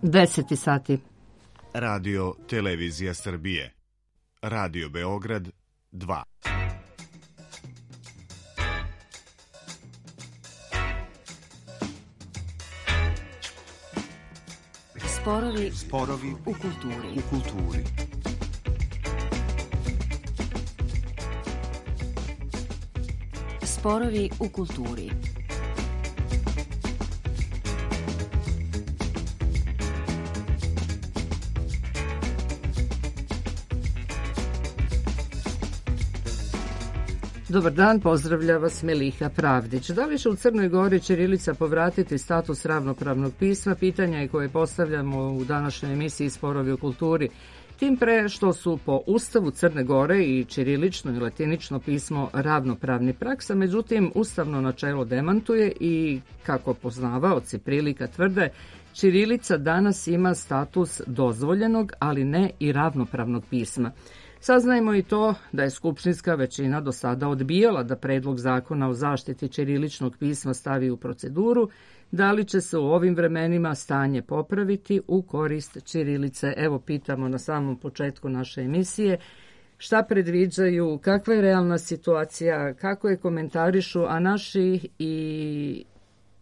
10 sati. Radio Televizija Srbije. Radio Beograd 2. Sporovi u kulturi. Sporovi u kulturi. Dobar dan, pozdravlja vas Meliha Pravdić. Da li će u Crnoj Gori ćirilica povratiti status ravnopravnog pisma? Pitanja je koje postavljamo u današnjoj emisiji Sporovi u kulturi. Tim pre što su po Ustavu Crne Gore i ćirilično i latinično pismo ravnopravni praksa, međutim ustavno načelo demantuje i, kako poznavaoci prilika tvrde, ćirilica danas ima status dozvoljenog, ali ne i ravnopravnog pisma. Saznajmo i to da je skupštinska većina do sada odbijala da predlog zakona o zaštiti ćiriličnog pisma stavi u proceduru. Da li će se u ovim vremenima stanje popraviti u korist ćirilice? Evo, pitamo na samom početku naše emisije šta predviđaju, kakva je realna situacija, kako je komentarišu, a naši i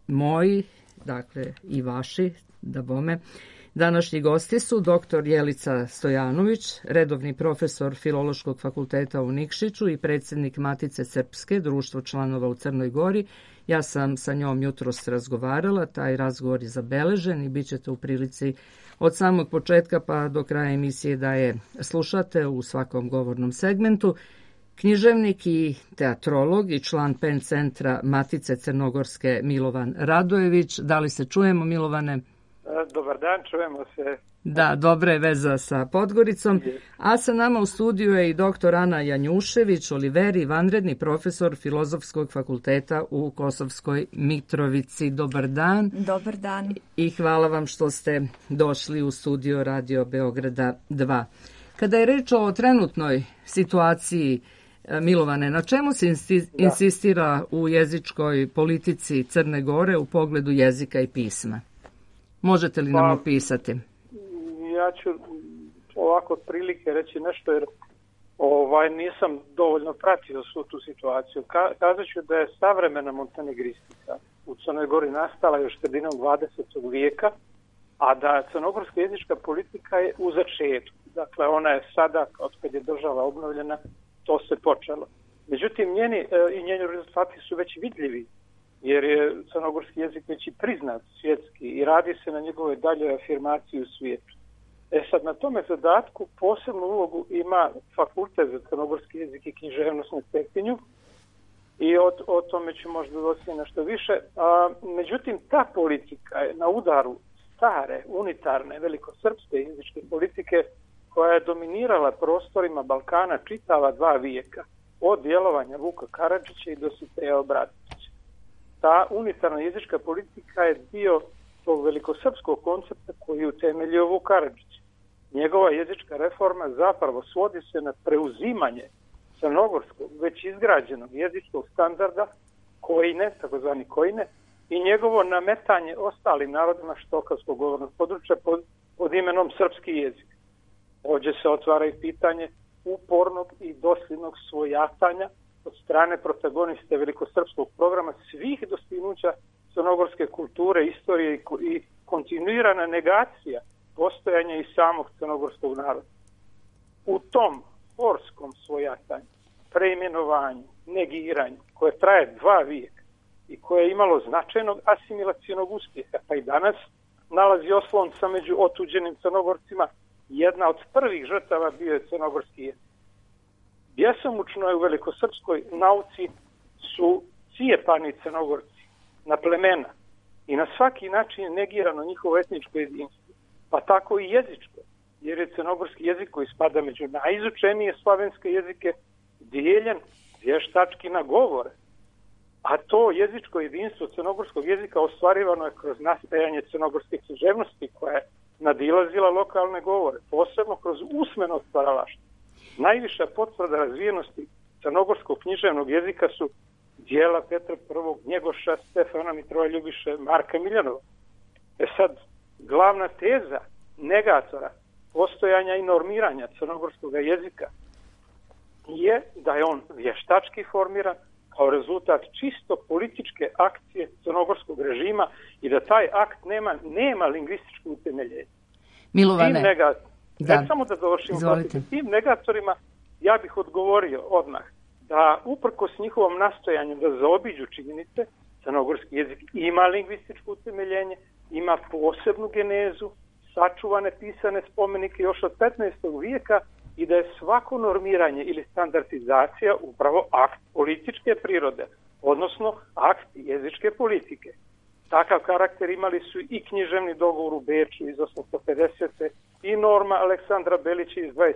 moji, dakle i vaši, da bome, današnji gosti su dr. Jelica Stojanović, redovni profesor Filološkog fakulteta u Nikšiću i predsjednik Matice Srpske, društvo članova u Crnoj Gori. Ja sam sa njom jutros razgovarala, taj razgovor je zabeležen i bit ćete u prilici od samog početka pa do kraja emisije da je slušate u svakom govornom segmentu. Književnik i teatrolog i član PEN centra Matice Crnogorske Milovan Radojević. Da li se čujemo, Milovane? Dobar dan, čujemo se. Da, dobra je veza sa Podgoricom. A sa nama u studiju je i dr. Ana Janjušević, Oliveri, vanredni profesor Filozofskog fakulteta u Kosovskoj Mitrovici. Dobar dan. Dobar dan. I hvala vam što ste došli u studio Radio Beograda 2. Kada je reč o trenutnoj situaciji, Milovane, na čemu se insistira u jezičkoj politici Crne Gore u pogledu jezika i pisma? Možete li nam opisati? Ja ću ovako otprilike reći nešto jer nisam dovoljno pratio svu tu situaciju. Kazat ću da je savremena montenegristika u Crnoj Gori nastala još sredinom 20. vijeka, a da crnogorska jezička politika je u začetku. Dakle, ona je sada, od kad je država obnovljena, to se počelo. Međutim, njeni rezultati su već vidljivi, jer je crnogorski jezik već i priznat svjetski i radi se na njegovoj daljoj afirmaciji u svijetu. Sad, na tome zadatku posebnu ulogu ima Fakultet za crnogorski jezik i književnost na Cetinju i o tome ću možda doći nešto više. Međutim, ta politika je na udaru stare, unitarne, velikosrpske jezičke politike koja je dominirala prostorima Balkana čitava 2 vijeka, od djelovanja Vuka Karadžića i Dositeja Obratića. Ta unitarna jezička politika je dio tog velikosrpskog koncepta koji je utemeljio Vuk Karadžić. Njegova jezička reforma zapravo svodi se na preuzimanje crnogorskog već izgrađenog jezičkog standarda kojine, takozvani kojine, i njegovo nametanje ostalim narodima štokavskog govornog područja pod imenom srpski jezik. Ovdje se otvara i pitanje upornog i dosljednog svojatanja od strane protagoniste velikosrpskog programa svih dostignuća crnogorske kulture, istorije i kontinuirana negacija postojanja i samog crnogorskog naroda. U tom porskom svojatanju, preimenovanju, negiranju, koje traje 2 vijeka i koje je imalo značajnog asimilacionog uspjeha, pa i danas nalazi oslonca među otuđenim Crnogorcima, jedna od prvih žrtava bio je crnogorski jezik. Bjesomučno je u velikosrpskoj nauci su cijepani Crnogorci na plemena i na svaki način je negirano njihovo etničko jedinstvo, pa tako i jezičko, jer je crnogorski jezik koji spada među najizučenije slavenske jezike dijeljen vještački na govore. A to jezičko jedinstvo crnogorskog jezika ostvarivano je kroz nastajanje crnogorske književnosti koja je nadilazila lokalne govore, posebno kroz usmeno stvaralaštvo. Najviša potvrda razvijenosti crnogorskog književnog jezika su dijela Petra I, Njegoša, Stefana Mitroja Ljubiše, Marka Miljanova. Sad, glavna teza negatora postojanja i normiranja crnogorskog jezika je da je on vještački formiran kao rezultat čisto političke akcije crnogorskog režima i da taj akt nema lingvističko utemeljenje. Milovane, samo da dovršim. Tim negatorima ja bih odgovorio odmah da uprkos njihovom nastojanju da zaobiđu činjenice, crnogorski jezik ima lingvističko utemeljenje, ima posebnu genezu, sačuvane pisane spomenike još od 15. vijeka i da je svako normiranje ili standardizacija upravo akt političke prirode, odnosno akt jezičke politike. Takav karakter imali su i književni dogovor u Beču iz 850. i norma Aleksandra Belića iz 23.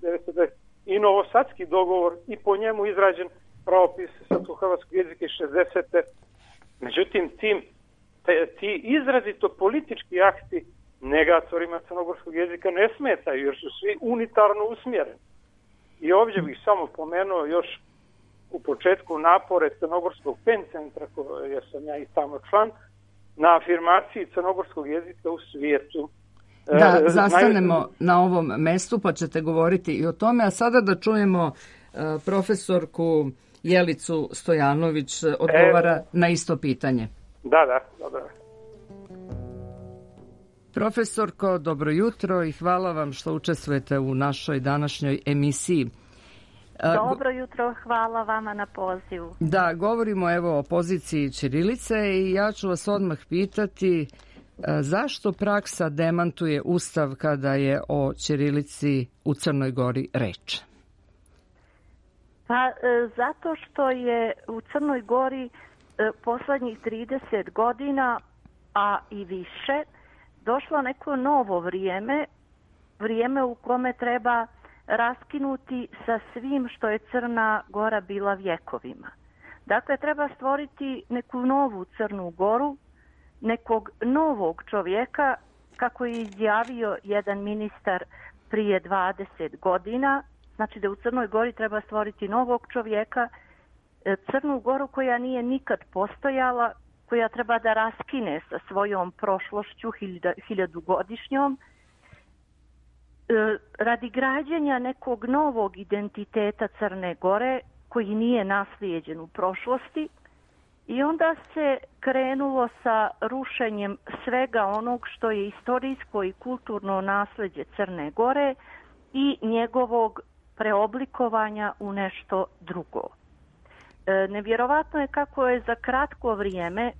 1920. i novosadski dogovor i po njemu izrađen pravopis srpsko-hrvatskog jezika iz 60. Međutim, ti izrazito politički akti negatorima crnogorskog jezika ne smetaju jer su svi unitarno usmjereni. I ovdje bih samo pomenuo još u početku napore Crnogorskog PEN centra, jer sam ja i tamo član, na afirmaciji crnogorskog jezika u svijetu. Da, zastanemo na ovom mestu pa ćete govoriti i o tome, a sada da čujemo profesorku Jelicu Stojanović odgovara na isto pitanje. Da, dobro. Profesorko, dobro jutro i hvala vam što učestvujete u našoj današnjoj emisiji. Dobro jutro, hvala vama na pozivu. Da, govorimo evo o poziciji ćirilice i ja ću vas odmah pitati zašto praksa demantuje Ustav kada je o ćirilici u Crnoj Gori reč? Pa zato što je u Crnoj Gori poslednjih 30 godina, a i više, došlo neko novo vrijeme u kome treba raskinuti sa svim što je Crna Gora bila vjekovima. Dakle, treba stvoriti neku novu Crnu Goru, nekog novog čovjeka, kako je izjavio jedan ministar prije 20 godina. Znači da u Crnoj Gori treba stvoriti novog čovjeka, Crnu Goru koja nije nikad postojala, koja treba da raskine sa svojom prošlošću hiljadugodišnjom, radi građenja nekog novog identiteta Crne Gore koji nije naslijeđen u prošlosti. I onda se krenulo sa rušenjem svega onog što je istorijsko i kulturno nasljeđe Crne Gore i njegovog preoblikovanja u nešto drugo. Nevjerovatno je kako je za kratko vrijeme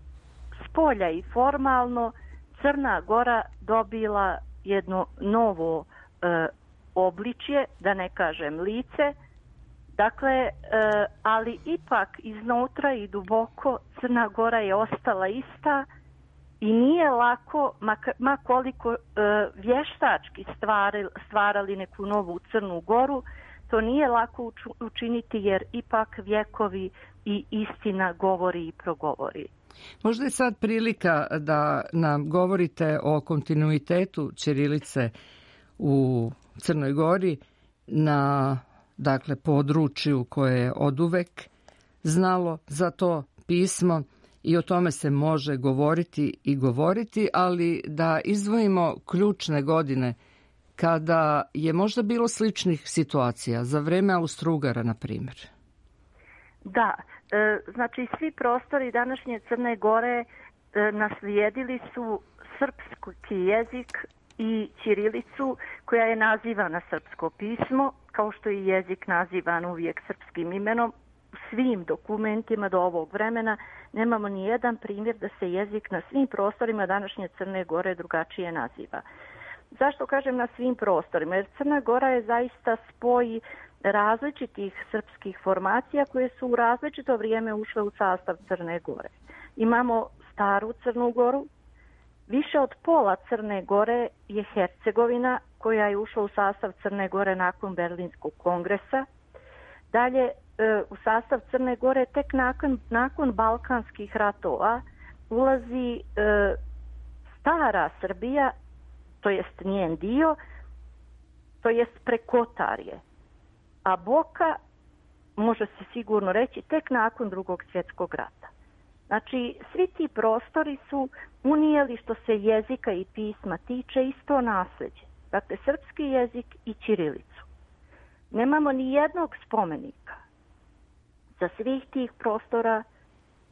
spolja i formalno Crna Gora dobila jedno novo obličje, da ne kažem lice. Dakle, ali ipak iznutra i duboko Crna Gora je ostala ista i nije lako, ma koliko vještački stvarali neku novu Crnu Goru, to nije lako učiniti jer ipak vjekovi i istina govori i progovori. Možda je sad prilika da nam govorite o kontinuitetu ćirilice u Crnoj Gori na području koje je oduvek znalo za to pismo i o tome se može govoriti, ali da izdvojimo ključne godine kada je možda bilo sličnih situacija, za vreme Austro-Ugara, na primjer. Da, znači svi prostori današnje Crne Gore naslijedili su srpski jezik i ćirilicu koja je nazivana srpsko pismo, kao što je jezik nazivan uvijek srpskim imenom. U svim dokumentima do ovog vremena nemamo ni jedan primjer da se jezik na svim prostorima današnje Crne Gore drugačije naziva. Zašto kažem na svim prostorima? Jer Crna Gora je zaista spoj različitih srpskih formacija koje su u različito vrijeme ušle u sastav Crne Gore. Imamo staru Crnu Goru, više od pola Crne Gore je Hercegovina koja je ušla u sastav Crne Gore nakon Berlinskog kongresa. Dalje u sastav Crne Gore tek nakon Balkanskih ratova ulazi stara Srbija, to jest njen dio, to jest Prekotarje. A Boka, može se sigurno reći, tek nakon Drugog svjetskog rata. Znači, svi ti prostori su unijeli, što se jezika i pisma tiče, isto nasleđe. Dakle, srpski jezik i ćirilicu. Nemamo ni jednog spomenika za svih tih prostora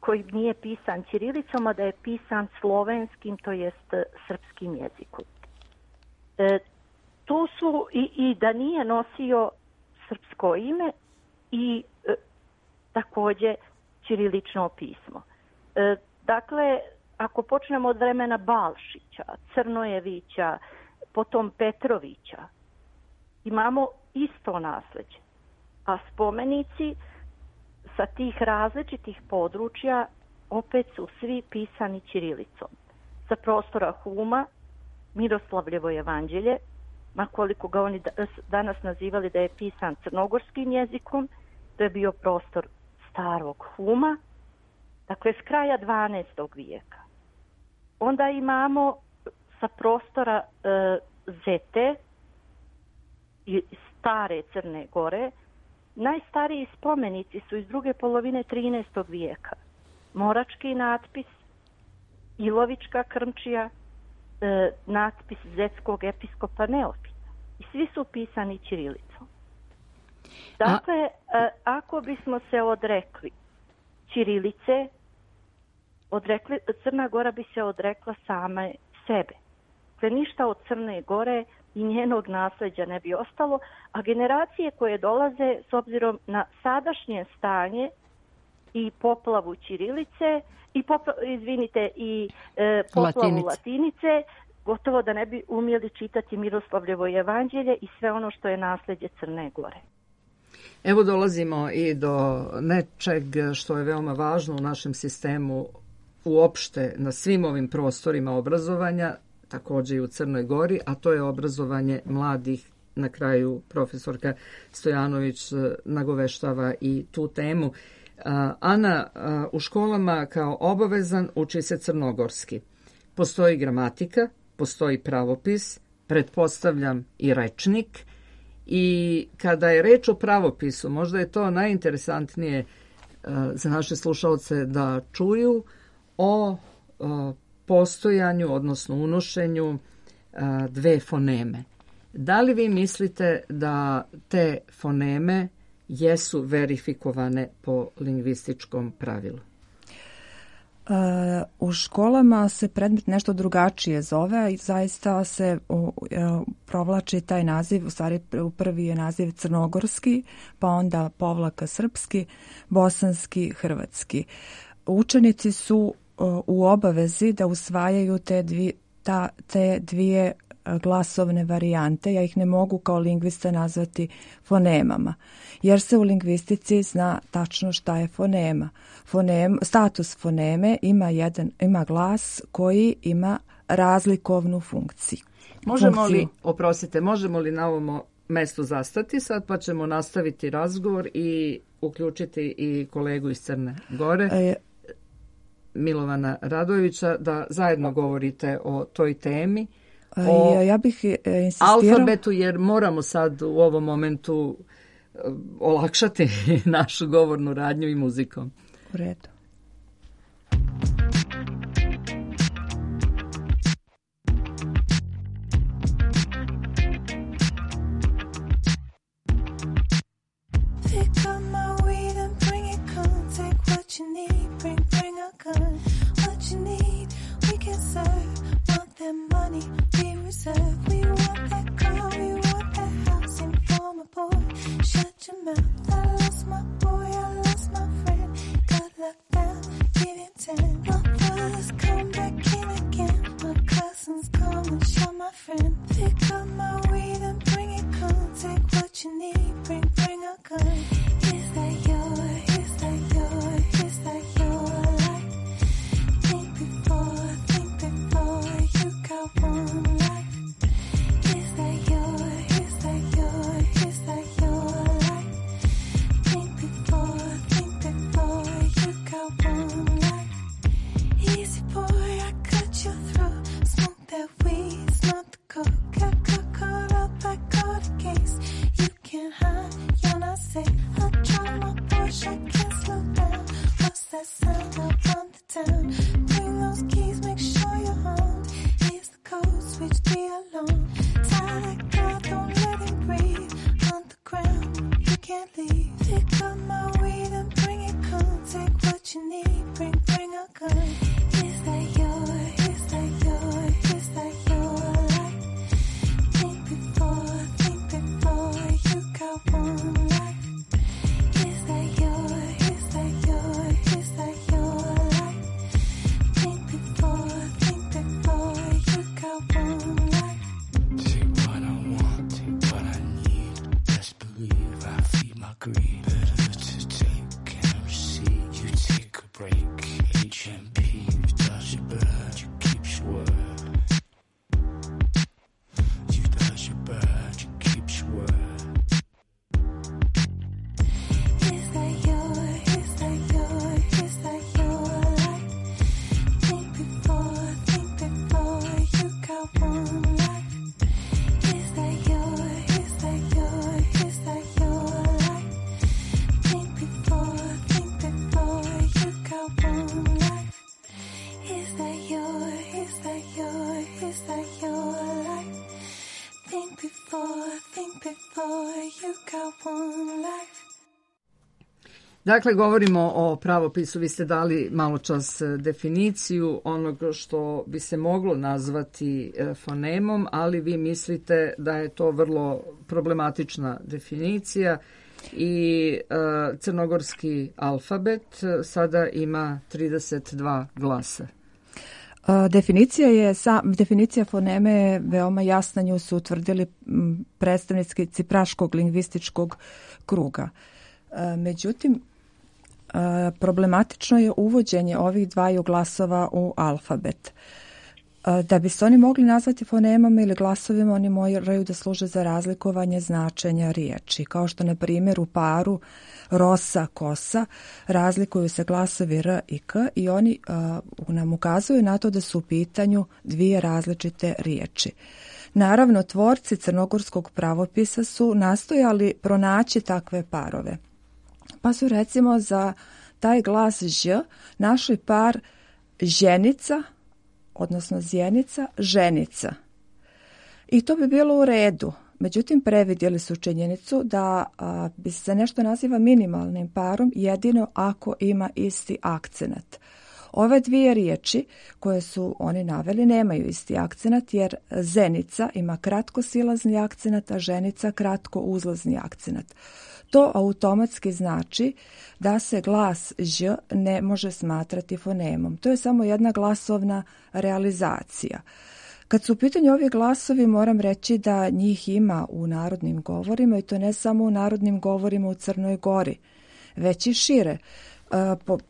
koji nije pisan ćirilicom, a da je pisan slovenskim, to jest srpskim jezikom. Tu su i da nije nosio srpsko ime i također ćirilično pismo. Dakle, ako počnemo od vremena Balšića, Crnojevića, potom Petrovića, imamo isto nasleđe. A spomenici sa tih različitih područja opet su svi pisani ćirilicom. Sa prostora Huma, Miroslavljevo evanđelje, makoliko ga oni danas nazivali da je pisan crnogorskim jezikom, to je bio prostor starog Huma, dakle s kraja 12. vijeka. Onda imamo sa prostora Zete i stare Crne Gore, najstariji spomenici su iz druge polovine 13. vijeka. Morački natpis, Ilovička krmčija, natpis zetskog episkopa Neofita. I svi su pisani ćirilicom. Dakle, ako bismo se odrekli ćirilice, Crna Gora bi se odrekla same sebe. Dakle, ništa od Crne Gore i njenog nasleđa ne bi ostalo, a generacije koje dolaze s obzirom na sadašnje stanje i poplavu ćirilice i poplavu latinice, gotovo da ne bi umjeli čitati Miroslavljevo evanđelje i sve ono što je nasleđe Crne Gore. Evo dolazimo i do nečeg što je veoma važno u našem sistemu uopšte na svim ovim prostorima obrazovanja, također i u Crnoj Gori, a to je obrazovanje mladih. Na kraju profesorka Stojanović nagoveštava i tu temu. Ana, u školama kao obavezan uči se crnogorski. Postoji gramatika, postoji pravopis, pretpostavljam i rečnik. I kada je reč o pravopisu, možda je to najinteresantnije za naše slušalce da čuju o postojanju, odnosno unošenju dve foneme. Da li vi mislite da te foneme jesu verifikovane po lingvističkom pravilu? U školama se predmet nešto drugačije zove i zaista se provlači taj naziv, u stvari prvi je naziv crnogorski, pa onda povlaka srpski, bosanski, hrvatski. Učenici su u obavezi da usvajaju te dvije glasovne varijante. Ja ih ne mogu kao lingvista nazvati fonemama, jer se u lingvistici zna tačno šta je fonema. Status foneme ima glas koji ima razlikovnu funkciju. Možemo li na ovom mestu zastati sad, pa ćemo nastaviti razgovor i uključiti i kolegu iz Crne Gore, Milovana Radojevića, da zajedno govorite o toj temi. Ja bih insistirao alfabetu, jer moramo sad u ovom momentu olakšati našu govornu radnju i muzikom. U redu. Money we reserve. We want that car, we want that house in form of boy. Shut your mouth. I lost my boy, I lost my friend. Got locked down, getting 10. My brothers come back in again. My cousins come and show my friend. Pick up my weed and bring it, come. Take what you need, bring a gun. Is that yours? Is that yours? Is that your life? Think before you got one life. Is that yours? Is that yours? Is that your life? Think before you got one life. Easy boy, I cut your throat. Smoke that weed, smoke the coke. Got caught up, I caught a case. You can't hide. Dakle, govorimo o pravopisu. Vi ste dali malo čas definiciju onog što bi se moglo nazvati fonemom, ali vi mislite da je to vrlo problematična definicija i crnogorski alfabet sada ima 32 glasa. Definicija foneme je veoma jasna, nju su utvrdili predstavnici Praškog lingvističkog kruga. Međutim, problematično je uvođenje ovih dvaju glasova u alfabet. Da bi se oni mogli nazvati fonemama ili glasovima, oni moraju da služe za razlikovanje značenja riječi. Kao što, na primjer, u paru rosa, kosa razlikuju se glasovi r i k i oni nam ukazuju na to da su u pitanju dvije različite riječi. Naravno, tvorci crnogorskog pravopisa su nastojali pronaći takve parove. Pa su recimo za taj glas ž našli par ženica, odnosno zjenica, ženica. I to bi bilo u redu. Međutim, previdjeli su činjenicu da bi se nešto naziva minimalnim parom jedino ako ima isti akcenat. Ove dvije riječi koje su oni naveli nemaju isti akcenat jer zenica ima kratko silazni akcenat, a ženica kratko uzlazni akcenat. To automatski znači da se glas ž ne može smatrati fonemom. To je samo jedna glasovna realizacija. Kad su u pitanju ovi glasovi, moram reći da njih ima u narodnim govorima i to ne samo u narodnim govorima u Crnoj Gori, već i šire.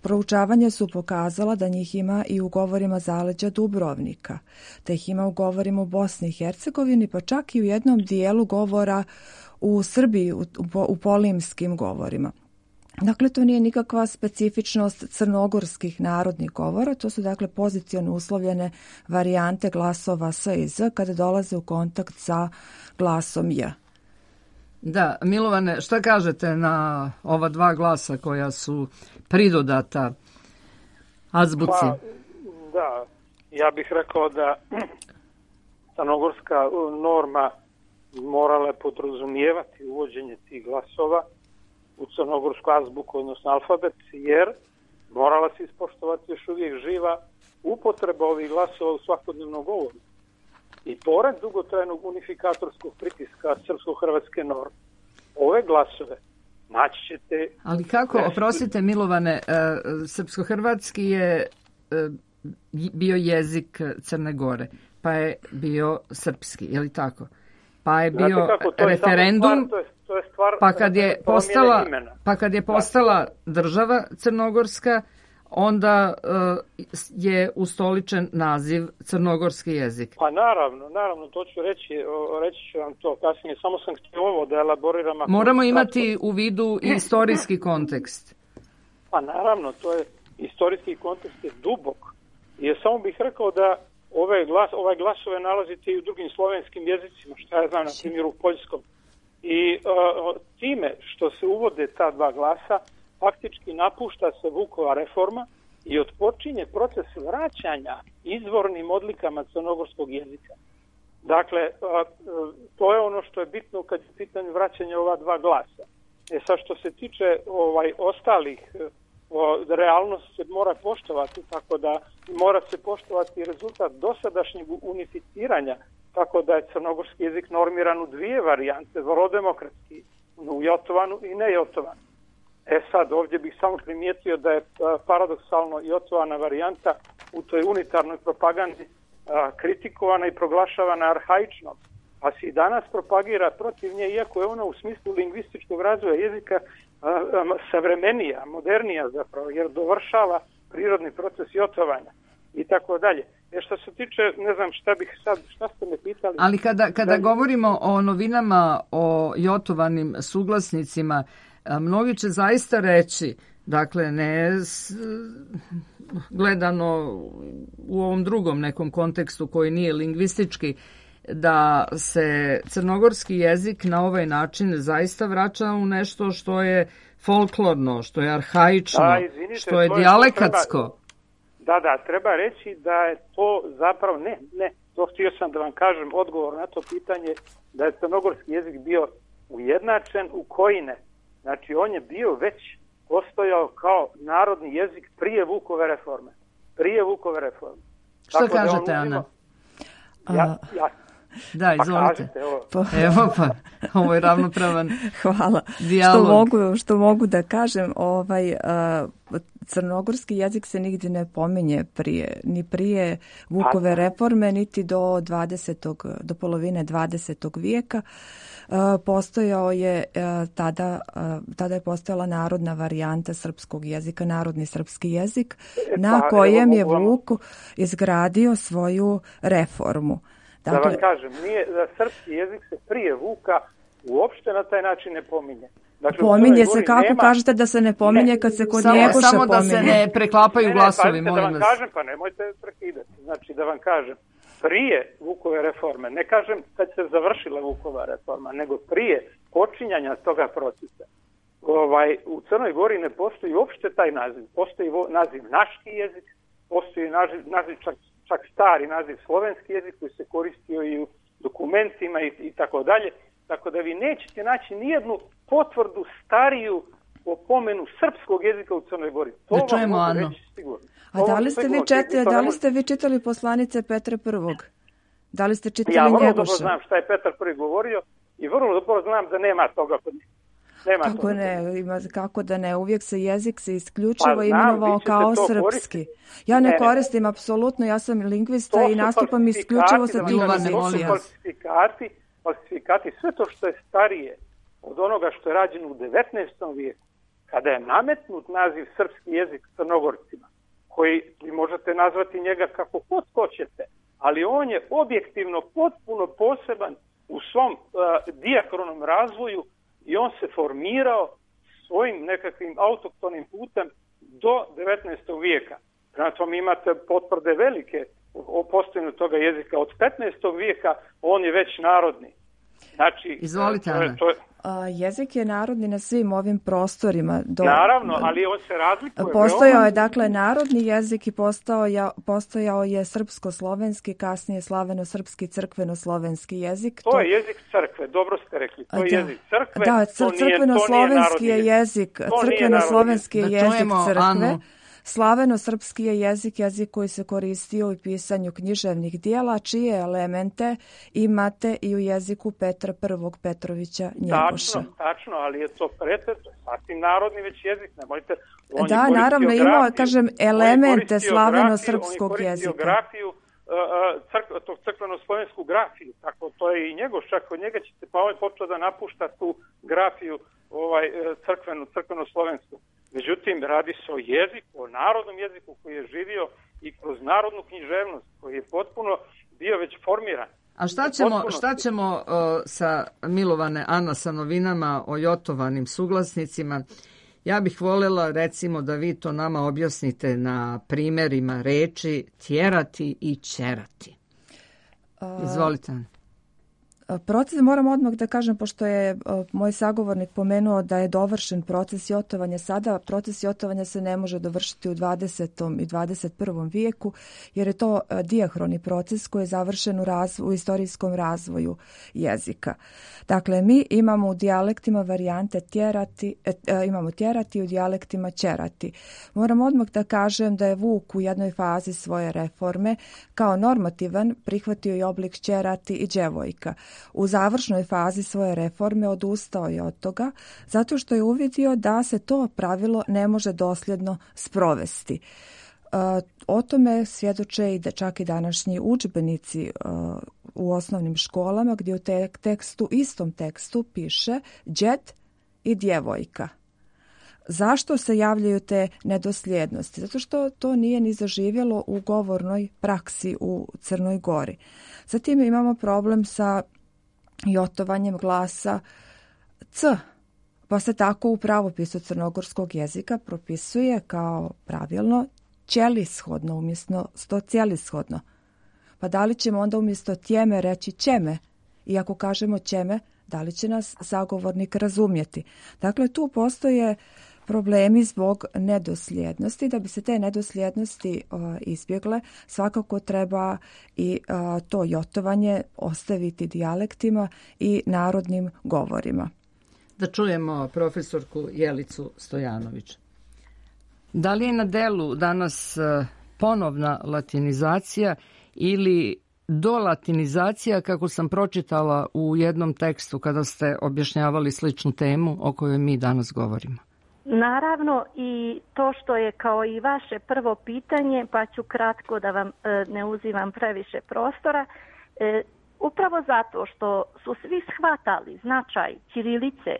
Proučavanja su pokazala da njih ima i u govorima zaleđa Dubrovnika, da ih ima u govorima u Bosni i Hercegovini, pa čak i u jednom dijelu govora u Srbiji, u polimskim govorima. Dakle, to nije nikakva specifičnost crnogorskih narodnih govora, to su dakle poziciono uslovljene varijante glasova s i z kada dolaze u kontakt sa glasom j. Da, Milovane, šta kažete na ova dva glasa koja su pridodata azbuci? Pa, da, ja bih rekao da crnogorska norma morala podrazumijevati uvođenje tih glasova u crnogorsku azbuku, odnosno alfabet, jer morala se ispoštovati još uvijek živa upotreba ovih glasova u svakodnevnom govoru. I pored dugotrajnog unifikatorskog pritiska srpsko-hrvatske norme, ove glasove naći ćete... Ali kako, oprostite Milovane, srpsko-hrvatski je bio jezik Crne Gore, pa je bio srpski, je li tako? Pa je bio referendum, pa kad je postala država crnogorska, onda je ustoličen naziv crnogorski jezik. Pa naravno, to ću reći ću vam to kasnije, samo sam htio ovo da elaboriram. Moramo imati u vidu i istorijski kontekst. Pa naravno, to je istorijski kontekst je dubok. Jer samo bih rekao da ovaj glasove nalazite i u drugim slovenskim jezicima, što ja znam, na primjer u poljskom. I time što se uvode ta dva glasa, faktički napušta se Vukova reforma i otpočinje proces vraćanja izvornim odlikama crnogorskog jezika. Dakle, to je ono što je bitno kad je pitanje vraćanja ova dva glasa. Sad što se tiče ostalih, realnost se mora poštovati, tako da mora se poštovati rezultat dosadašnjeg unificiranja, tako da je crnogorski jezik normiran u dvije varijante, vrlo demokratski, u jotovanu i nejotovanu. Sad, ovdje bih samo primijetio da je paradoksalno jotovana varijanta u toj unitarnoj propagandi kritikovana i proglašavana arhaičnom, pa se i danas propagira protiv nje, iako je ona u smislu lingvističkog razvoja jezika savremenija, modernija zapravo, jer dovršava prirodni proces jotovanja i tako dalje. Što se tiče, ne znam šta ste me pitali. Ali kada govorimo o novinama, o jotovanim suglasnicima, mnogi će zaista reći, dakle ne gledano u ovom drugom nekom kontekstu koji nije lingvistički, da se crnogorski jezik na ovaj način zaista vraća u nešto što je folklorno, što je arhaično, što je dijalekatsko. Da, treba reći da je to zapravo, to htio sam da vam kažem odgovor na to pitanje, da je crnogorski jezik bio ujednačen u kojine. Znači, on je bio već postojao kao narodni jezik prije Vukove reforme. Što kažete, Ana? Ja. Da, izvolite. Kažete, evo. Evo pa, ovo je ravnopravan Hvala. dijalog. Što mogu da kažem, crnogorski jezik se nigdje ne pominje ni prije Vukove reforme, niti do polovine 20. vijeka. Postojao je tada je postojala narodna varijanta srpskog jezika, narodni srpski jezik, na kojem je Vuk izgradio svoju reformu. Dakle, da vam kažem, da srpski jezik se prije Vuka uopšte na taj način ne pominje. Dakle, pominje se, kako kažete da se ne pominje kad se kod Njegoša pominje? Samo da se ne preklapaju glasovi, molim vas. Da vam kažem, pa nemojte prekidati. Znači, da vam kažem, prije Vukove reforme, ne kažem kad se završila Vukova reforma, nego prije počinjanja toga procesa, u Crnoj Gori ne postoji uopšte taj naziv. Postoji naziv naški jezik, postoji naziv čak stari naziv slovenski jezik koji se koristio i u dokumentima i tako dalje. Tako da vi nećete naći nijednu potvrdu stariju o pomenu srpskog jezika u Crnoj Gori. To da čujemo, vam mogu Ano. reći sigurno. A da li ste vi čitali poslanice Petra I? Da li ste čitali Njegoša? Ja vrlo Njegoša? dobro znam šta je Petar I govorio i vrlo dobro znam da nema toga kod njih. Kako da ne, uvijek se jezik se isključivo imenovao kao srpski. Ja ne koristim apsolutno, ja sam lingvista i nastupam isključivo sa tim jezicima. Falsifikati, sve to što je starije od onoga što je rađeno u 19. vijeku, kada je nametnut naziv srpski jezik Crnogorcima, koji vi možete nazvati njega kako god hoćete, ali on je objektivno potpuno poseban u svom dijakronom razvoju i on se formirao svojim nekakvim autohtonim putem do 19. vijeka. Prema tome imate potvrde velike o postojanju toga jezika. Od 15. vijeka on je već narodni. Znači, izvolite, Ana. Jezik je narodni na svim ovim prostorima. Naravno, ali on se razlikuje. Postojao je dakle narodni jezik i postojao je srpsko-slovenski, kasnije slaveno-srpski, crkveno-slovenski jezik. To je jezik crkve, dobro ste rekli. To je jezik crkve. Da, crkveno-slovenski je jezik, crkveno-slovenski je jezik crkve. Slaveno-srpski je jezik koji se koristio u pisanju književnih dijela, čije elemente imate i u jeziku Petra I. Petrovića Njegoša. Tačno, ali je to sasvim narodni već jezik, nemojte... Da, naravno, imao, kažem, elemente slaveno-srpskog jezika. On je koristio grafiju, tog crkveno-slovensku grafiju, tako to je i Njegoša, kod njega ćete, pa on je počeo da napušta tu grafiju crkveno-slovensku. Međutim, radi se o jeziku, o narodnom jeziku koji je živio i kroz narodnu književnost, koji je potpuno bio već formiran. A šta ćemo sa milovane Ana sa novinama o jotovanim suglasnicima? Ja bih voljela recimo da vi to nama objasnite na primjerima reči tjerati i ćerati. Izvolite. Proces, moram odmah da kažem, pošto je moj sagovornik pomenuo da je dovršen proces jotovanja sada, proces jotovanja se ne može dovršiti u 20. i 21. vijeku, jer je to dijahroni proces koji je završen u istorijskom razvoju jezika. Dakle, mi imamo u dijalektima varijante imamo tjerati, u dijalektima ćerati. Moram odmah da kažem da je Vuk u jednoj fazi svoje reforme kao normativan prihvatio i oblik ćerati i djevojka. U završnoj fazi svoje reforme odustao je od toga zato što je uvidio da se to pravilo ne može dosljedno sprovesti. O tome svjedoče i čak i današnji udžbenici u osnovnim školama gdje u istom tekstu piše đed i djevojka. Zašto se javljaju te nedosljednosti? Zato što to nije ni zaživjelo u govornoj praksi u Crnoj Gori. Zatim imamo problem sa jotovanjem glasa c, pa se tako u pravopisu crnogorskog jezika propisuje kao pravilno ćelishodno umjesto stocijelishodno. Pa da li ćemo onda umjesto tjeme reći ćeme? I ako kažemo ćeme, da li će nas sagovornik razumjeti? Dakle, tu postoje problemi zbog nedosljednosti. Da bi se te nedosljednosti izbjegle, svakako treba i to jotovanje ostaviti dijalektima i narodnim govorima. Da čujemo profesorku Jelicu Stojanović. Da li je na delu danas ponovna latinizacija ili dolatinizacija, kako sam pročitala u jednom tekstu kada ste objašnjavali sličnu temu o kojoj mi danas govorimo? Naravno, i to što je kao i vaše prvo pitanje, pa ću kratko da vam ne uzimam previše prostora, upravo zato što su svi shvatali značaj ćirilice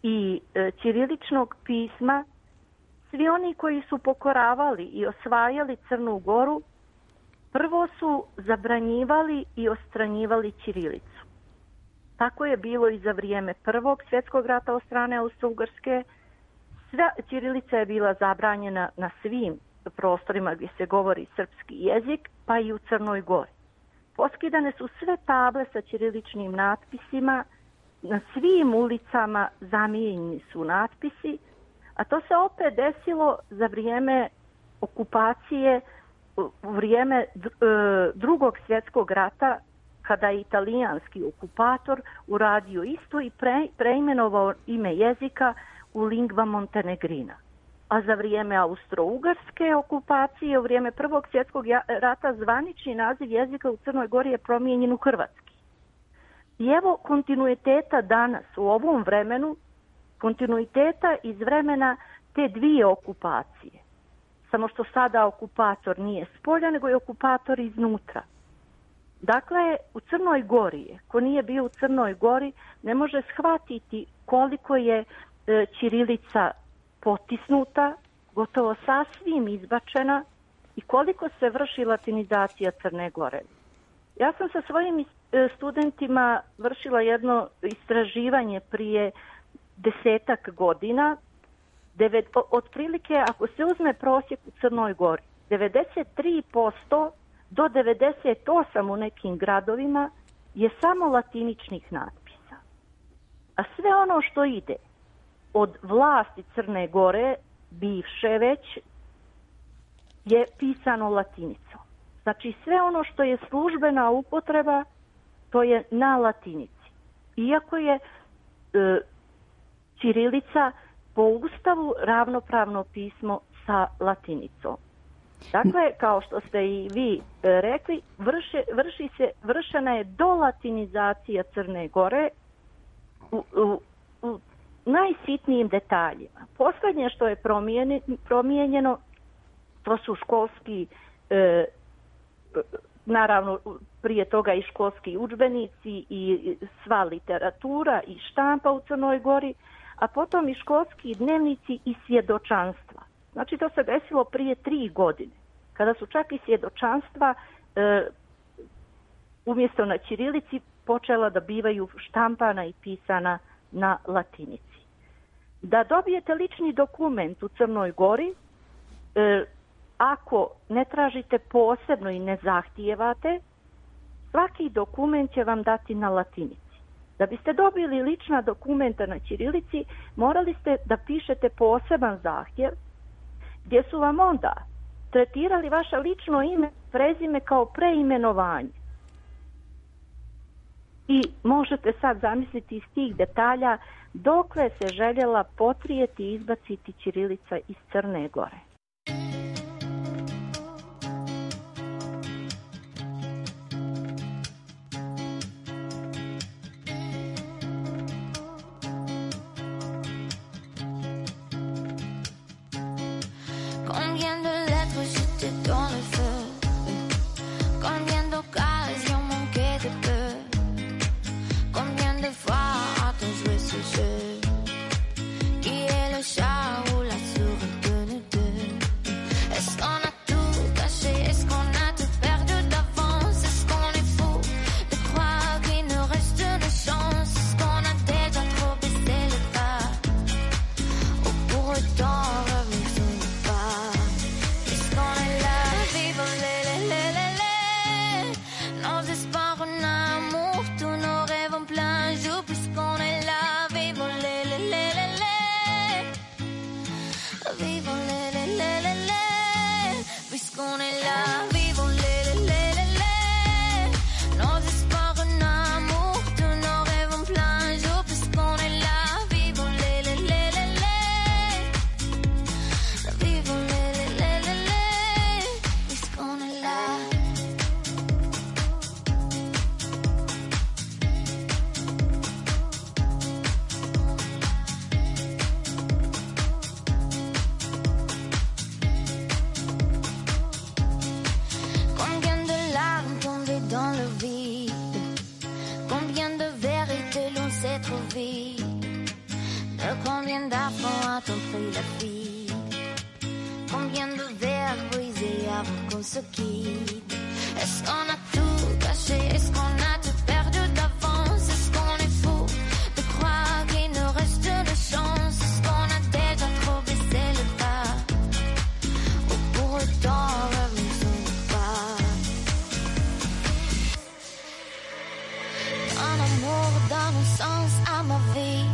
i ćiriličnog pisma, svi oni koji su pokoravali i osvajali Crnu Goru, prvo su zabranjivali i ostranjivali ćirilicu. Tako je bilo i za vrijeme Prvog svjetskog rata od strane Austro-Ugarske. Ćirilica je bila zabranjena na svim prostorima gdje se govori srpski jezik, pa i u Crnoj Gori. Poskidane su sve table sa ćiriličnim natpisima, na svim ulicama zamijenjeni su natpisi, a to se opet desilo za vrijeme okupacije, u vrijeme Drugog svjetskog rata, kada je italijanski okupator uradio isto i preimenovao ime jezika u lingva montenegrina. A za vrijeme Austro-Ugarske okupacije, u vrijeme Prvog svjetskog rata, zvanični naziv jezika u Crnoj Gori je promijenjen u hrvatski. I evo kontinuiteta danas u ovom vremenu, kontinuiteta iz vremena te dvije okupacije. Samo što sada okupator nije spolja, nego je okupator iznutra. Dakle, u Crnoj Gori, ko nije bio u Crnoj Gori, ne može shvatiti koliko je ćirilica potisnuta, gotovo sasvim izbačena i koliko se vrši latinizacija Crne Gore. Ja sam sa svojim studentima vršila jedno istraživanje prije 10-ak godina. Otprilike, ako se uzme prosjek u Crnoj Gori, 93% do 98% u nekim gradovima je samo latiničnih natpisa. A sve ono što ide od vlasti Crne Gore, bivše već, je pisano latinicom. Znači sve ono što je službena upotreba, to je na latinici. Iako je ćirilica po Ustavu ravnopravno pismo sa latinicom. Dakle, kao što ste i vi rekli, vršena je dolatinizacija Crne Gore u najsitnijim detaljima. Posljednje što je promijenjeno, to su školski, naravno prije toga i školski udžbenici i sva literatura i štampa u Crnoj Gori, a potom i školski dnevnici i svjedočanstva. Znači to se desilo prije 3 godine, kada su čak i svjedočanstva umjesto na ćirilici počela da bivaju štampana i pisana na latinici. Da dobijete lični dokument u Crnoj Gori, ako ne tražite posebno i ne zahtijevate, svaki dokument će vam dati na latinici. Da biste dobili lična dokumenta na ćirilici, morali ste da pišete poseban zahtjev, gdje su vam onda tretirali vaše lično ime, prezime kao preimenovanje. I možete sad zamisliti iz tih detalja dokle se željela potrijeti i izbaciti ćirilica iz Crne Gore. Qui est le chat ou la souris de nous deux? c'est trop vite. De combien d'affronts a-t-on pris la fuite? Combien de verres brisés avant qu'on se quitte? Est-ce qu'on a tout caché? Est-ce qu'on a tout perdu d'avance? Est-ce qu'on est fou de croire qu'il nous reste de chance? Est-ce qu'on a déjà trop baissé le pas? Ou pour autant revenons pas? Un amour donne un sens à ma vie.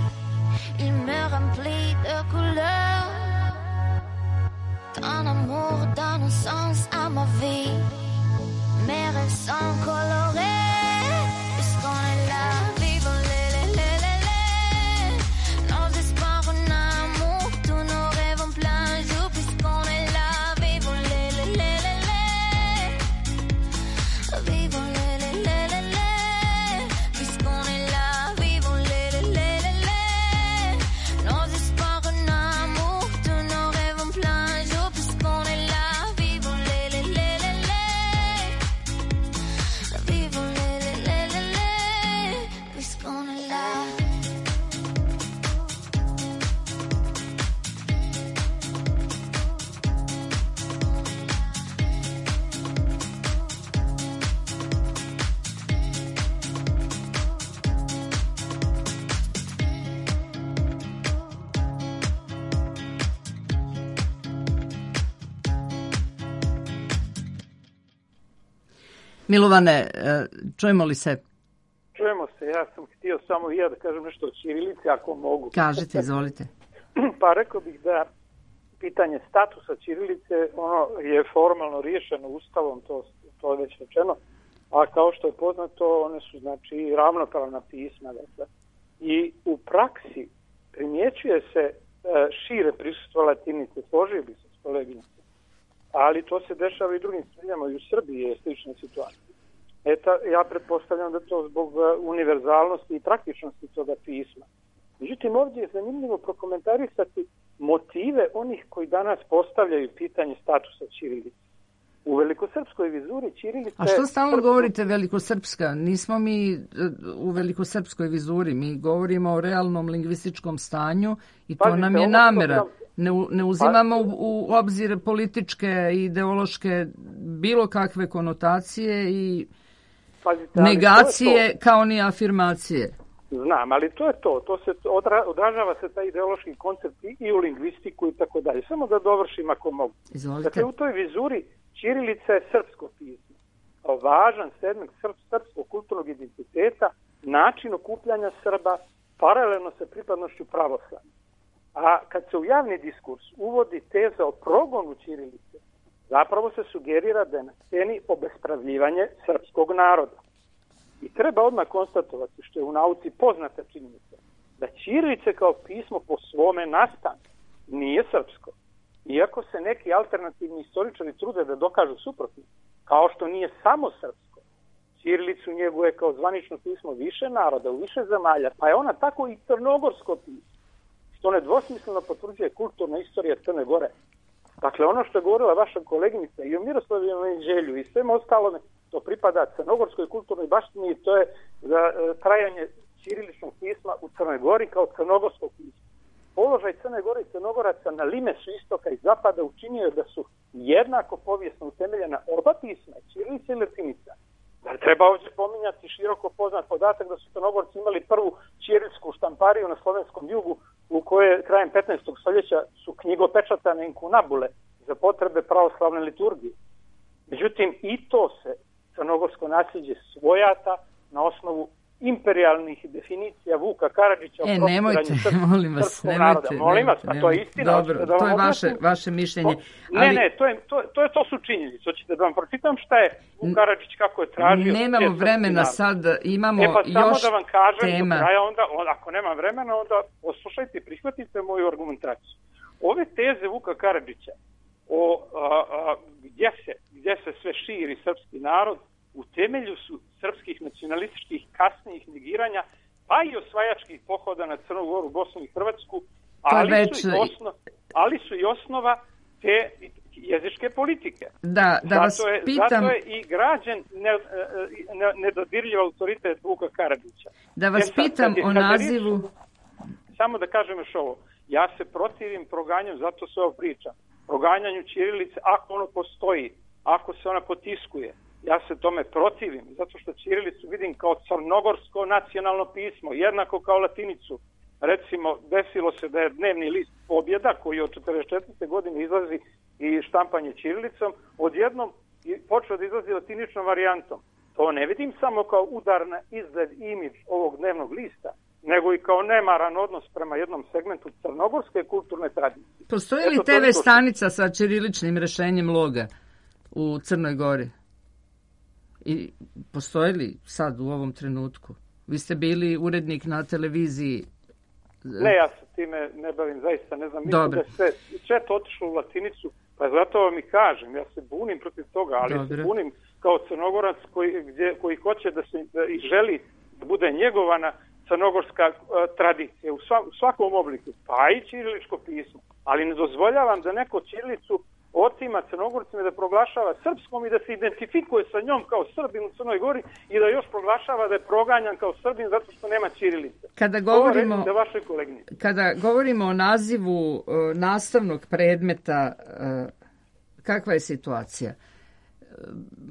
Il me remplit de couleurs. Ton amour donne un sens à ma vie. Mes rêves sont colorés. Puisqu'on est là, vivons les. Nos espoirs en amour, tous nos rêves en plein jour. Puisqu'on est là, vivons les. Vivons les. Puisqu'on est là, vivons les. Nos espoirs en amour, tous nos rêves en plein jour. Puisqu'on est là, vivons les. Vivons les. Puisqu'on est là. Milovane, čujemo li se? Čujemo se, ja sam htio samo i ja da kažem nešto o ćirilici, ako mogu. Kažite, izvolite. Pa rekao bih da pitanje statusa ćirilice, ono je formalno riješeno ustavom, to je već rečeno, a kao što je poznato, one su znači ravnopravna pisma. Dakle. I u praksi primjećuje se šire prisustvo latinice, složio bi se s koleginicom, ali to se dešava i u drugim zemljama, i u Srbiji je slična situacija. Ja pretpostavljam da to zbog univerzalnosti i praktičnosti toga pisma. Međutim, ovdje je zanimljivo prokomentarisati motive onih koji danas postavljaju pitanje statusa ćirilice. U velikosrpskoj vizuri ćirilice... A što stalno govorite velikosrpska? Nismo mi u velikosrpskoj vizuri, mi govorimo o realnom lingvističkom stanju i to nam je namera. Ne uzimamo u obzir političke i ideološke bilo kakve konotacije i negacije kao ni afirmacije. Znam, ali to je to se odražava se taj ideološki koncept i u lingvistiku i tako dalje. Samo da dovršim ako mogu. Izvolite. Dakle, u toj vizuri ćirilica je srpsko pismo. Kao važan segment srpskog kulturnog identiteta, način okupljanja Srba, paralelno sa pripadnošću pravoslavlja. A kad se u javni diskurs uvodi teza o progonu ćirilice, zapravo se sugerira da je na sceni obespravljivanje srpskog naroda. I treba odmah konstatovati, što je u nauci poznata činjenica, da ćirilice kao pismo po svome nastanku nije srpsko. Iako se neki alternativni istoričari trude da dokažu suprotno, kao što nije samo srpsko. Ćirilicu njeguje kao zvanično pismo više naroda, u više zemalja, pa je ona tako i crnogorsko pismo, što nedvosmisleno potvrđuje kulturna istorija Crne Gore. Dakle, ono što je govorila vaša koleginica i o Miroslavljevom Jeđelju i svem ostalome, to pripada crnogorskoj kulturnoj baštini i to je za trajanje ćiriličnog pisma u Crnoj Gori kao crnogorskog pisma. Položaj Crne Gore i Crnogoraca na limesu istoka i zapada učinio je da su jednako povijesno utemeljena oba pisma, ćirilica i latinica. Da treba ovdje pominjati široko poznat podatak da su Crnogorci imali prvu ćirilsku štampariju na slovenskom jugu u kojoj krajem 15. stoljeća su knjigopečatane inkunabule za potrebe pravoslavne liturgije. Međutim, i to se crnogorsko nasljeđe svojata na osnovu imperijalnih definicija Vuka Karadžića o nemojte, molim vas, nemojte. Molim vas, a to je istina. Dobro, to je vaše mišljenje. Ne, to su činjenice. Hoćete da vam pročitam šta je Vuk Karadžić kako je tražio. Nemamo vremena sad, imamo pa samo još da vam kažem tema. Do kraja, ako nemam vremena, onda poslušajte i prihvatite moju argumentaciju. Ove teze Vuka Karadžića o gdje se sve širi srpski narod, u temelju su srpskih nacionalističkih kasnijih negiranja, pa i osvajačkih pohoda na Crnu Goru, Bosnu i Hrvatsku, ali su i osnova te jezičke politike. Da vas pitam... Zato je i građen nedodirljiv autoritet Vuka Karadžića. Da vas pitam o nazivu... Samo da kažem još ovo. Ja se protivim proganjanju, zato se ovo pričam. Proganjanju ćirilice, ako ono postoji, ako se ona potiskuje. Ja se tome protivim, zato što ćirilicu vidim kao crnogorsko nacionalno pismo, jednako kao latinicu. Recimo, desilo se da je dnevni list Pobjeda, koji od 44. godine izlazi i štampanje ćirilicom, odjednom počeo da izlazi latiničnom varijantom. To ne vidim samo kao udar na izgled imidž ovog dnevnog lista, nego i kao nemaran odnos prema jednom segmentu crnogorske kulturne tradicije. Postoji li TV stanica sa ćiriličnim rešenjem loga u Crnoj Gori? I postoji li sad u ovom trenutku? Vi ste bili urednik na televiziji. Ne, ja se time ne bavim, zaista ne znam. Mislim da sve to otišlo u latinicu, pa zato vam i kažem, ja se bunim protiv toga, ali se bunim kao Crnogorac koji hoće da se i želi da bude njegovana crnogorska tradicija u svakom obliku, pa i ćiriličko pismo. Ali ne dozvoljavam da neko ćirilicu otima Crnogorcima da proglašava srpskom i da se identifikuje sa njom kao Srbin u Crnoj Gori i da još proglašava da je proganjan kao Srbin zato što nema ćirilice. Kada govorimo o nazivu nastavnog predmeta, kakva je situacija?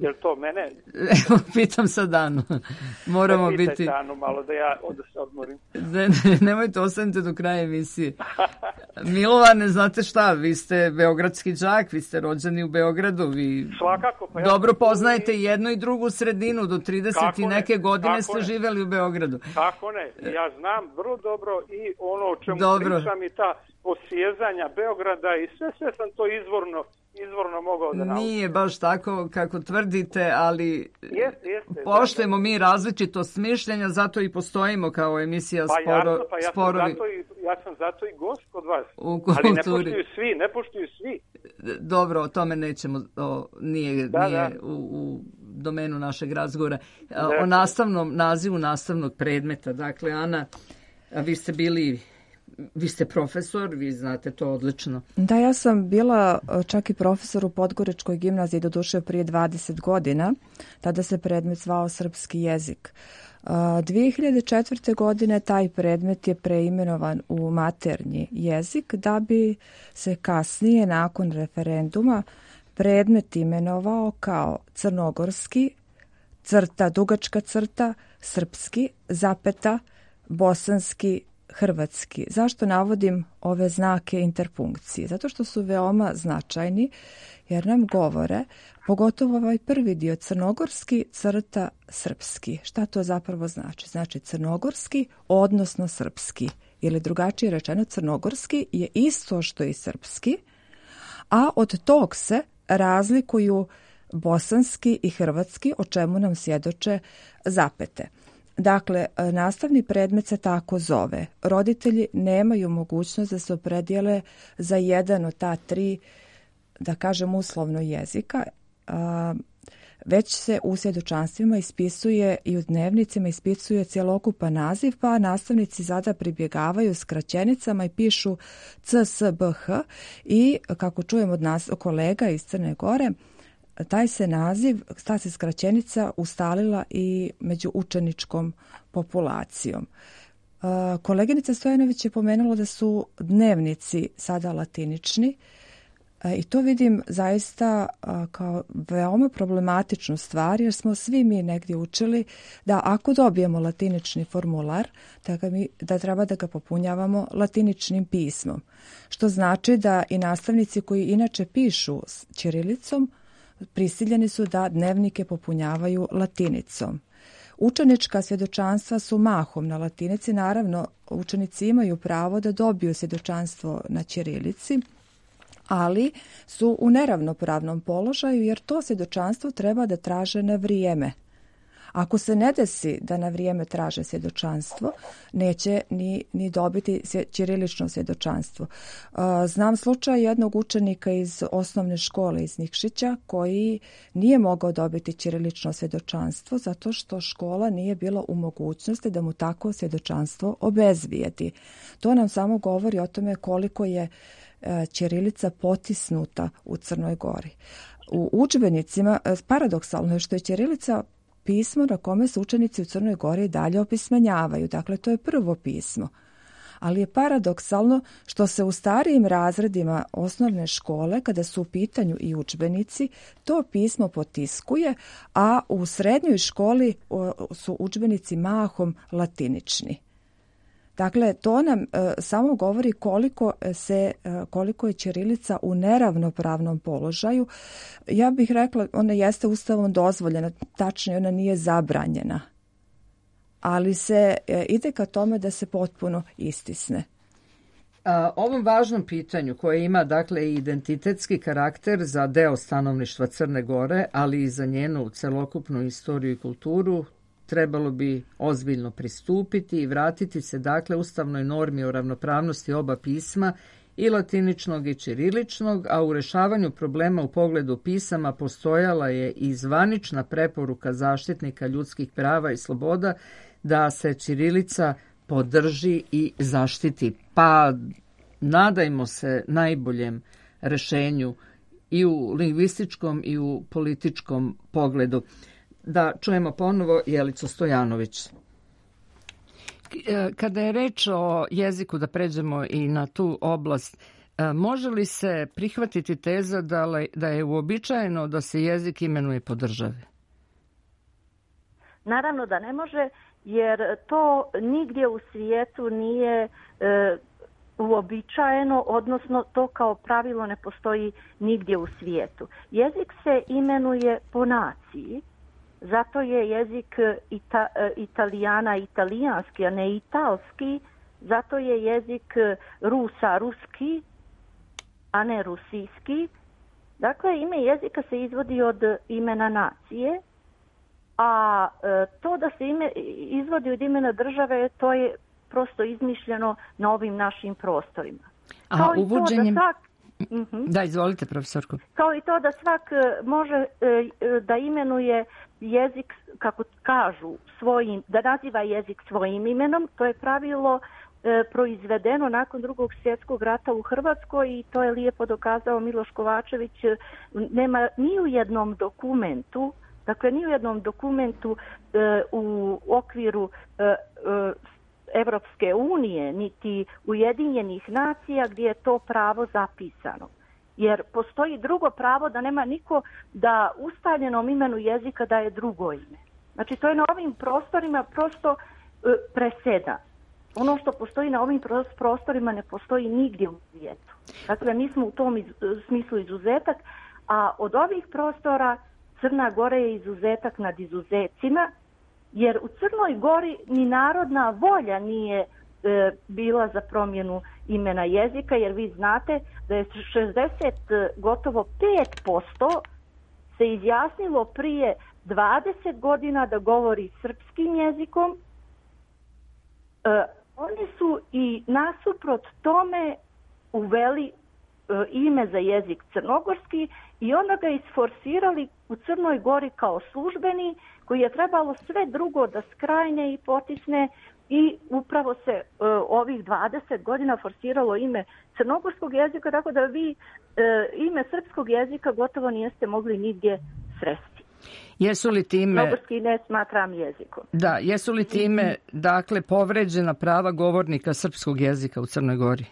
Jel to mene? Pitam sad Anu. Moramo biti... Pitajte Anu malo da ja se odmorim. Nemojte, ostanite do kraja emisije. Milovane, znate šta, vi ste beogradski đak, vi ste rođeni u Beogradu, vi svakako, pa dobro poznajete jednu i drugu sredinu, do 30 i neke godine ste živeli u Beogradu. Tako ne, ja znam vrlo dobro i ono o čemu pričam i ta posjezanja Beograda i sve sam to izvorno mogao da naučim. Nije baš tako kako tvrdite, ali poštujemo mi različitost mišljenja, zato i postojimo kao emisija Sporovi. Ja sam zato i gost kod vas. Ali ne poštuju svi. Dobro, o tome nećemo, nije u domenu našeg razgovora. O nazivu nastavnog predmeta. Dakle, Ana, vi ste profesor, vi znate to odlično. Da, ja sam bila čak i profesor u Podgoričkoj gimnaziji, doduše prije 20 godina. Tada se predmet zvao srpski jezik. 2004. godine taj predmet je preimenovan u maternji jezik, da bi se kasnije, nakon referenduma, predmet imenovao kao crnogorski, dugačka crta, srpski, bosanski, hrvatski. Zašto navodim ove znake interpunkcije? Zato što su veoma značajni, jer nam govore, pogotovo ovaj prvi dio, crnogorski, srpski. Šta to zapravo znači? Znači crnogorski, odnosno srpski. Ili drugačije rečeno, crnogorski je isto što i srpski, a od tog se razlikuju bosanski i hrvatski, o čemu nam svjedoče zapete. Dakle, nastavni predmet se tako zove. Roditelji nemaju mogućnost da se opredijele za jedan od ta tri, da kažem uslovno, jezika, već se u svjedočanstvima ispisuje i u dnevnicima ispisuje cjelokupan naziv, pa nastavnici sada pribjegavaju skraćenicama i pišu CSBH i, kako čujem od nas kolega iz Crne Gore, ta se skraćenica ustalila i među učeničkom populacijom. Koleginica Stojanović je pomenula da su dnevnici sada latinični i to vidim zaista kao veoma problematičnu stvar, jer smo svi mi negdje učili da ako dobijemo latinični formular, da treba da ga popunjavamo latiničnim pismom. Što znači da i nastavnici koji inače pišu ćirilicom prisiljeni su da dnevnike popunjavaju latinicom. Učenička svjedočanstva su mahom na latinici. Naravno, učenici imaju pravo da dobiju svjedočanstvo na ćirilici, ali su u neravnopravnom položaju jer to svjedočanstvo treba da traže na vrijeme. Ako se ne desi da na vrijeme traže svjedočanstvo, neće ni dobiti ćirilično svjedočanstvo. Znam slučaj jednog učenika iz osnovne škole iz Nikšića koji nije mogao dobiti ćirilično svjedočanstvo zato što škola nije bila u mogućnosti da mu tako svjedočanstvo obezbijedi. To nam samo govori o tome koliko je ćirilica potisnuta u Crnoj Gori. U udžbenicima, paradoksalno je što je ćirilica pismo na kome se učenici u Crnoj Gori dalje opismenjavaju. Dakle, to je prvo pismo. Ali je paradoksalno što se u starijim razredima osnovne škole, kada su u pitanju i udžbenici, to pismo potiskuje, a u srednjoj školi su udžbenici mahom latinični. Dakle, to nam samo govori koliko je ćirilica u neravnopravnom položaju. Ja bih rekla, ona jeste Ustavom dozvoljena, tačnije ona nije zabranjena. Ali se ide ka tome da se potpuno istisne. Ovom važnom pitanju koje ima dakle i identitetski karakter za deo stanovništva Crne Gore, ali i za njenu celokupnu istoriju i kulturu, trebalo bi ozbiljno pristupiti i vratiti se dakle ustavnoj normi o ravnopravnosti oba pisma, i latiničnog i ćiriličnog, a u rešavanju problema u pogledu pisama postojala je i zvanična preporuka zaštitnika ljudskih prava i sloboda da se ćirilica podrži i zaštiti. Pa nadajmo se najboljem rešenju i u lingvističkom i u političkom pogledu. Da čujemo ponovo Jelicu Stojanović. Kada je reč o jeziku, da pređemo i na tu oblast, može li se prihvatiti teza da je uobičajeno da se jezik imenuje po državi? Naravno da ne može, jer to nigdje u svijetu nije uobičajeno, odnosno to kao pravilo ne postoji nigdje u svijetu. Jezik se imenuje po naciji. Zato je jezik Italijana italijanski, a ne italski. Zato je jezik Rusa ruski, a ne rusijski. Dakle, ime jezika se izvodi od imena nacije, a to da se ime izvodi od imena države, to je prosto izmišljeno na ovim našim prostorima. Aha, uvođenjem... Da, izvolite, profesorko. Kao i to da svak može da imenuje jezik, kako kažu, da naziva jezik svojim imenom. To je pravilo proizvedeno nakon Drugog svjetskog rata u Hrvatskoj i to je lijepo dokazao Miloš Kovačević. Nema ni u jednom dokumentu, u okviru Evropske unije, niti Ujedinjenih nacija gdje je to pravo zapisano. Jer postoji drugo pravo da nema niko da ustaljenom imenu jezika daje drugo ime. Znači to je na ovim prostorima prosto preseda. Ono što postoji na ovim prostorima ne postoji nigdje u svijetu. Dakle, mi smo u tom smislu izuzetak, a od ovih prostora Crna Gora je izuzetak nad izuzecima, jer u Crnoj Gori ni narodna volja nije bila za promjenu imena jezika, jer vi znate da je gotovo 5% se izjasnilo prije 20 godina da govori srpskim jezikom. Oni su i nasuprot tome uveli ime za jezik crnogorski i onda ga isforsirali u Crnoj Gori kao službeni, koji je trebalo sve drugo da skrajne i potisne, i upravo se ovih 20 godina forsiralo ime crnogorskog jezika, tako da vi ime srpskog jezika gotovo nijeste mogli nigdje sresti. Jesu li time... Crnogorski ne smatram jezikom. Da, jesu li time, dakle, povređena prava govornika srpskog jezika u Crnoj Gori?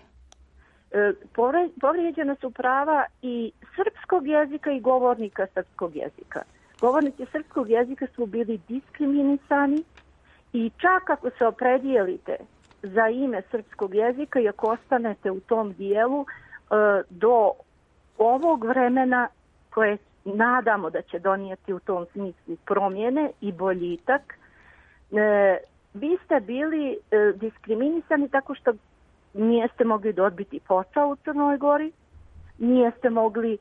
Povrijeđena su prava i srpskog jezika i govornika srpskog jezika. Govornici srpskog jezika su bili diskriminisani i čak ako se opredijelite za ime srpskog jezika i ako ostanete u tom dijelu do ovog vremena koje nadamo da će donijeti u tom smislu promjene i boljitak, vi ste bili diskriminisani tako što nijeste mogli dobiti posao u Crnoj Gori, nijeste mogli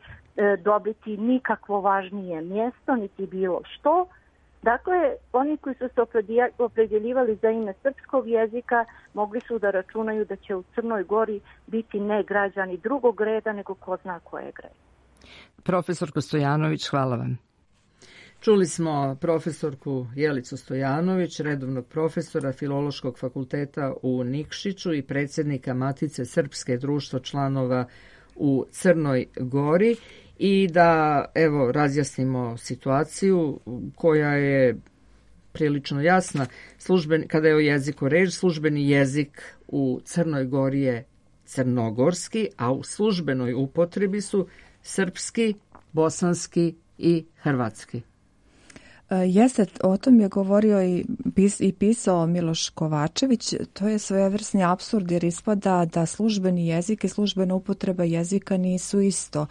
dobiti nikakvo važnije mjesto, niti bilo što. Dakle, oni koji su se opredjeljivali za ime srpskog jezika mogli su da računaju da će u Crnoj Gori biti ne građani drugog reda, nego ko zna kojeg reda. Profesorko Stojanović, hvala vam. Čuli smo profesorku Jelicu Stojanović, redovnog profesora Filološkog fakulteta u Nikšiću i predsjednika Matice Srpske društva članova u Crnoj Gori i da evo razjasnimo situaciju koja je prilično jasna. Kada je o jeziku reč, službeni jezik u Crnoj Gori je crnogorski, a u službenoj upotrebi su srpski, bosanski i hrvatski. Jeste, o tom je govorio i pisao Miloš Kovačević. To je svojevrsni apsurd jer ispada da službeni jezik i službena upotreba jezika nisu isto.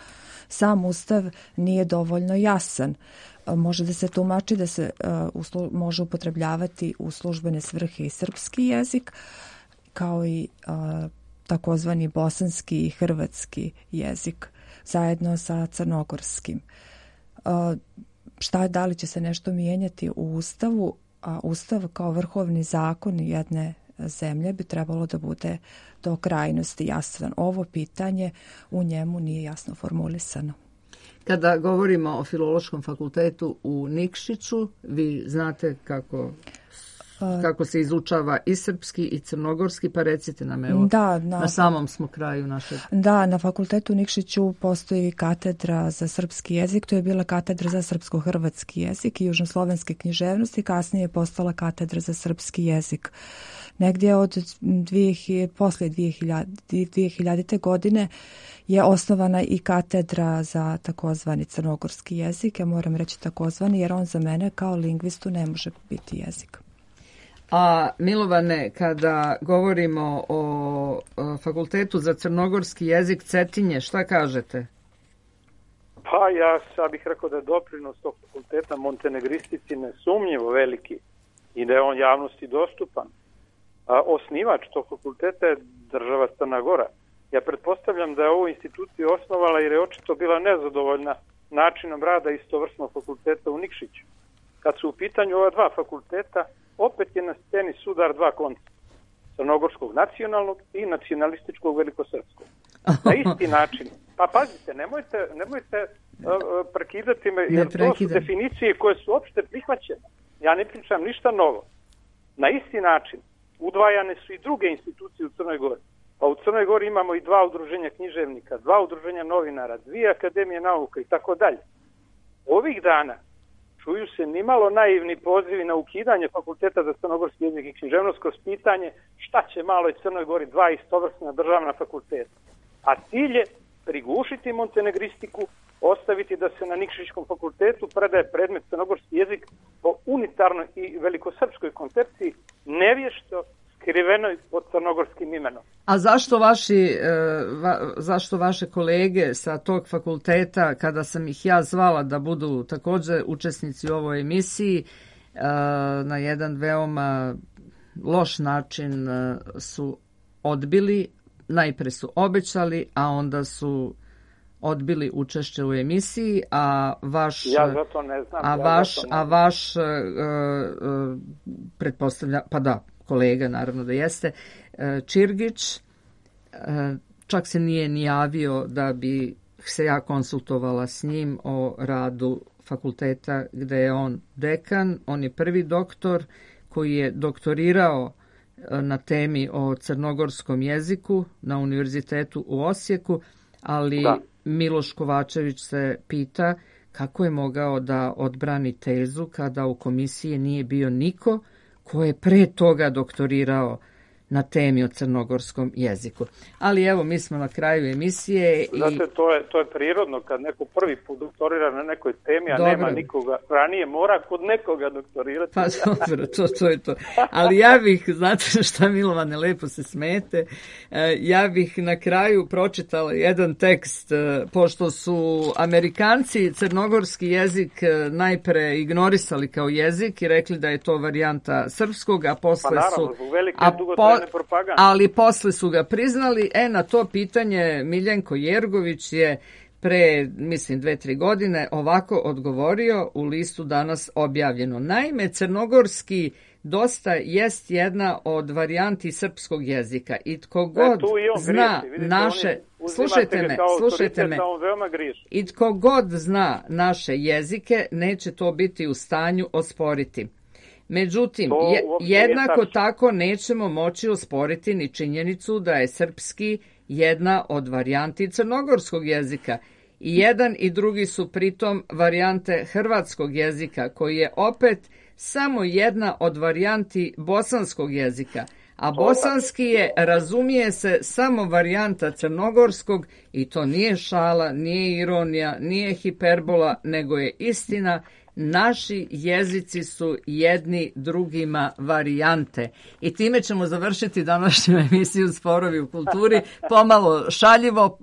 Sam Ustav nije dovoljno jasan. Može da se tumači da se može upotrebljavati u službene svrhe i srpski jezik, kao i takozvani bosanski i hrvatski jezik, zajedno sa crnogorskim. Da li će se nešto mijenjati u Ustavu? A Ustav kao vrhovni zakon jedne zemlje bi trebalo da bude do krajnosti jasan. Ovo pitanje u njemu nije jasno formulisano. Kada govorimo o Filološkom fakultetu u Nikšiću, vi znate kako se izučava i srpski i crnogorski, pa recite nam, evo, na samom smo kraju našeg. Da, na fakultetu u Nikšiću postoji katedra za srpski jezik, to je bila katedra za srpsko-hrvatski jezik i južnoslovenske književnosti, kasnije je postala katedra za srpski jezik. Negdje posle 2000. godine je osnovana i katedra za takozvani crnogorski jezik. Ja moram reći takozvani jer on za mene kao lingvistu ne može biti jezik. A Milovane, kada govorimo o Fakultetu za crnogorski jezik Cetinje, šta kažete? Pa ja bih rekao da je doprinos tog fakulteta montenegristici nesumnjivo veliki i da je on javnosti dostupan. Osnivač tog fakulteta je država Crna Gora. Ja pretpostavljam da je ovu instituciju osnovala jer je očito bila nezadovoljna načinom rada istovrsnog fakulteta u Nikšiću. Kad su u pitanju ova dva fakulteta, opet je na sceni sudar dva koncepta. Crnogorskog nacionalnog i nacionalističkog velikosrpskog. Na isti način. Pa pazite, nemojte prekidati me, jer to su definicije koje su opšte prihvaćene. Ja ne pričam ništa novo. Na isti način udvajane su i druge institucije u Crnoj Gori. Pa u Crnoj Gori imamo i dva udruženja književnika, dva udruženja novinara, dvije akademije nauka i tako dalje. Ovih dana čuju se nimalo naivni pozivi na ukidanje Fakulteta za crnogorski jezik i književnost kroz pitanje šta će maloj Crnoj Gori dva istovrsna državna fakulteta. A cilj je prigušiti montenegristiku, ostaviti da se na Nikšićkom fakultetu predaje predmet crnogorski jezik po unitarnoj i velikosrpskoj koncepciji, nevješto skrivenoj pod crnogorskim imenom. A zašto vaše kolege sa tog fakulteta, kada sam ih ja zvala da budu također učesnici u ovoj emisiji, na jedan veoma loš način su odbili, najpre su obećali, a onda su odbili učešće u emisiji, a vaš pretpostavlja, pa da, kolega naravno da jeste, Čirgić, čak se nije ni javio da bi se ja konsultovala s njim o radu fakulteta gde je on dekan. On je prvi doktor koji je doktorirao na temi o crnogorskom jeziku na univerzitetu u Osijeku, ali Miloš Kovačević se pita kako je mogao da odbrani tezu kada u komisiji nije bio niko ko je pre toga doktorirao na temi o crnogorskom jeziku. Ali evo, mi smo na kraju emisije. Znate, to je prirodno kad neko prvi put doktorira na nekoj temi, a nema nikoga ranije, mora kod nekoga doktorirati. Pa dobro, to je to. Ali ja bih, znate šta Milovane, lepo se smete, ja bih na kraju pročitala jedan tekst, pošto su Amerikanci crnogorski jezik najpre ignorisali kao jezik i rekli da je to varijanta srpskog, a posle pa naravno, zbog velike dugotrajne propagande. Ali posle su ga priznali. Na to pitanje Miljenko Jergović je pre, mislim, 2-3 godine ovako odgovorio u listu danas objavljeno. Naime, crnogorski dosta jest jedna od varijanti srpskog jezika i tko god zna naše... Slušajte me. I tko god zna naše jezike, neće to biti u stanju osporiti. Međutim, jednako tako nećemo moći osporiti ni činjenicu da je srpski jedna od varijanti crnogorskog jezika. I jedan i drugi su pritom varijante hrvatskog jezika, koji je opet samo jedna od varijanti bosanskog jezika, a bosanski je, razumije se, samo varijanta crnogorskog i to nije šala, nije ironija, nije hiperbola, nego je istina. Naši jezici su jedni drugima varijante. I time ćemo završiti današnju emisiju Sporovi u kulturi, pomalo šaljivo,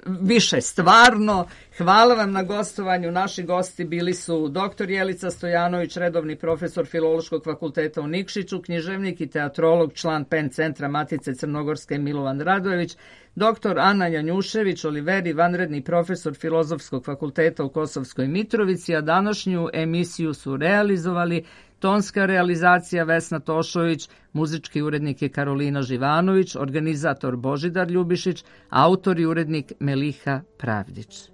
više stvarno. Hvala vam na gostovanju. Naši gosti bili su dr. Jelica Stojanović, redovni profesor Filološkog fakulteta u Nikšiću, književnik i teatrolog, član PEN centra Matice Crnogorske Milovan Radojević, dr. Ana Janjušević Oliveri, vanredni profesor Filozofskog fakulteta u Kosovskoj Mitrovici, a današnju emisiju su realizovali tonska realizacija Vesna Tošović, muzički urednik je Karolina Živanović, organizator Božidar Ljubišić, autor i urednik Meliha Pravdić.